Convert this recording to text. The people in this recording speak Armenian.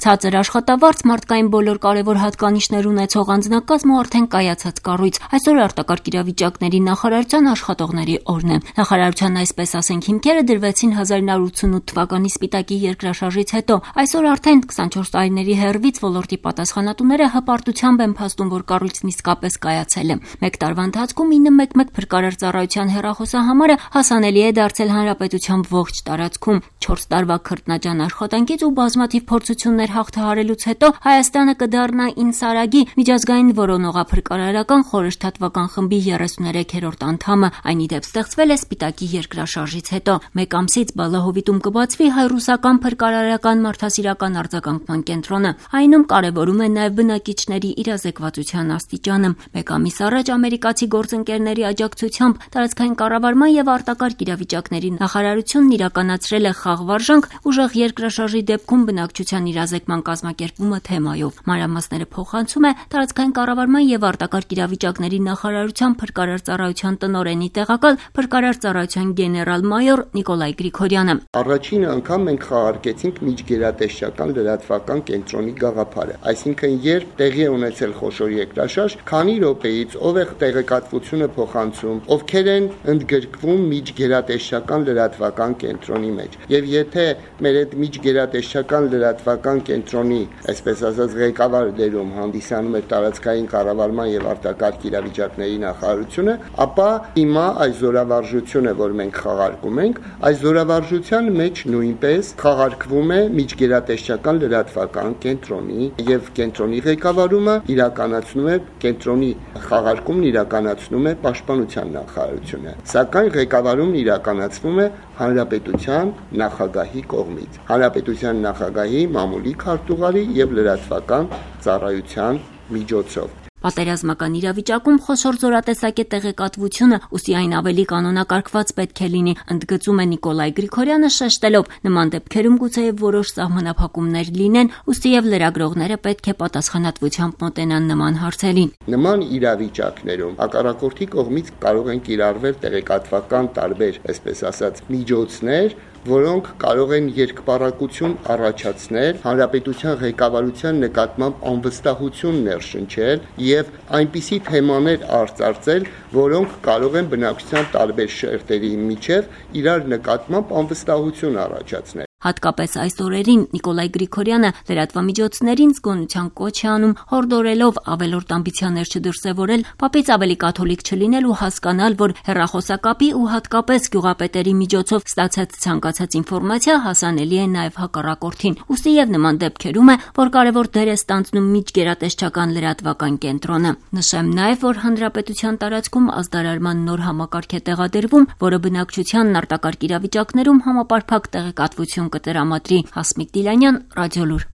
Ցածր աշխատավարձ, մարդկային բոլոր կարևոր հատկանիշներ ունեցող անձնակազմ ու արդեն կայացած կառույց։ Այսօր արտակարգ իրավիճակների նախարարության աշխատողների օրն է։ Նախարարության այսպես ասենք հիմքերը դրվեցին 1988 թվականի Սպիտակի երկրաշարժից հետո։ Այսօր արդեն 24 տարիների հեռվից ոլորտի պատասխանատուները հպարտությամբ են փաստում, որ կառույցն իսկապես կայացել է։ Մեկ տարվա ընթացքում 911 փրկարար ծառայության հեռախոսահամարը հասանելի է դարձել հանրապետության ողջ տարածքում։ 4 տարվա քրտնաջան աշխատանքից ու բազմաթիվ փորձություններ հաղթահարելուց հետո Հայաստանը կդառնա INSARAG-ի միջազգային որոնողափրկարարական խորհրդատվական խմբի 33-րդ անդամը։ Այն ի դեպ ստեղծվել է Սպիտակի երկրաշարժից հետո։ Մեկ ամսից Բալահովիտում կբացվի հայ-ռուսական փրկարարական մարդասիրական արձագանքման կենտրոնը։ Այնում կարևորում է նաև բնակիչների իրազեկվածության աստիճանը։ Մեկ ամիս առաջ ամերիկացի գործընկերների աջակցությամբ տարածքային կառավարման եւ արտակարգ իրավիճակների նախարարությունն իրականացրել է խաղվարժանք ուժեղ երկրաշարժի դեպքում բնակչության իրազեկման կազմակերպումը թեմայով։ Մանրամասները փոխանցում է տարածքային կառավարման եւ արտակարգ իրավիճակների նախարարության փրկարար ծառայության տնօրենի տեղակալ փրկարար ծառայության գեներալ-մայոր Նիկոլայ Գրիգորյանը։ Առաջին անգամ մենք խաղարկեցինք միջգերատեսչական լրատվական կենտրոնի գաղափարը, այսինքն երբ տեղի է ունեցել խոշոր երկրաշարժ, քանի րոպեից ով է տեղեկատվությունը փոխանցում, ովքեր են ընդգրկվում միջգերատեսչական լրատվական կենտրոնի մեջ։ Եվ եթե մեր այդ միջգերատեսչական լրատվական կենտրոնի, այսպես ասած, ղեկավար դերում հանդիսանում է տարածքային կառավարման եւ արտակարգ իրավիճակների նախարարությունը, ապա հիմա այս զորավարժությունը, որ մենք խաղարկում ենք, այս զորավարժության մեջ նույնպես խաղարկվում է միջգերատեսչական լրատվական կենտրոնի եւ կենտրոնի ղեկավարումը իրականացնում է կենտրոնի խաղարկումն իրականացնում է պաշտպանության նախարարությունը, սակայն ղեկավարումն իրականացվում է հանրապետության նախագահի կողմից, հանրապետության նախագահի մամուլի քարտուղարի եւ լրատվական ծառայության միջոցով։ Պատերազմական իրավիճակում խոշոր զորատեսակի տեղեկատվությունը ուստի այն ավելի կանոնակարգված պետք է լինի, ընդգծում է Նիկոլայ Գրիգորյանը, շեշտելով նման դեպքերում գուցեև որոշ սահմանափակումներ լինեն, ուստի եւ լրագրողները պետք է պատասխանատվությամբ մոտենան նման հարցերին։ Նման իրավիճակներում հակառակորդի կողմից կարող են կիրառվել տեղեկատվական տարբեր, այսպես ասած, միջոցներ, որոնք կարող են երկպառակություն առաջացնել, հանրապետության ղեկավարության նկատմամբ անվստահություն ներշնչել եւ այնպիսի թեմաներ արծարծել, որոնք կարող են բնակչության տարբեր շերտերի միջև իրար նկատմամբ անվստահություն առաջացնել։ Հատկապես այս օրերին Նիկոլայ Գրիգորյանը լրատվամիջոցներին զգոնության կոչ է անում, հորդորելով ավելորդ ամբիցիաներ չդրսևորել, պապից ավելի կաթոլիկ չլինել ու հասկանալ, որ հեռախոսակապի ու հատկապես գյուղապետերի միջոցով ստացած ցանկացած ինֆորմացիա հասանելի է նաև հակառակորդին։ Ուստի եւ նման դեպքերում է, որ կարևոր դեր է ստանձնում միջգերատեսչական լրատվական կենտրոնը։ Նշեմ նաև, որ հանրապետության տարածքում ազդարարման նոր համակարգ է տեղադրվում, որը բնակչությանն արտակարգ իրավիճակներում համապարփակ տեղեկատվություն կտրամադրի։ Հասմիկ Դիլանյան, Ռադիոլուր։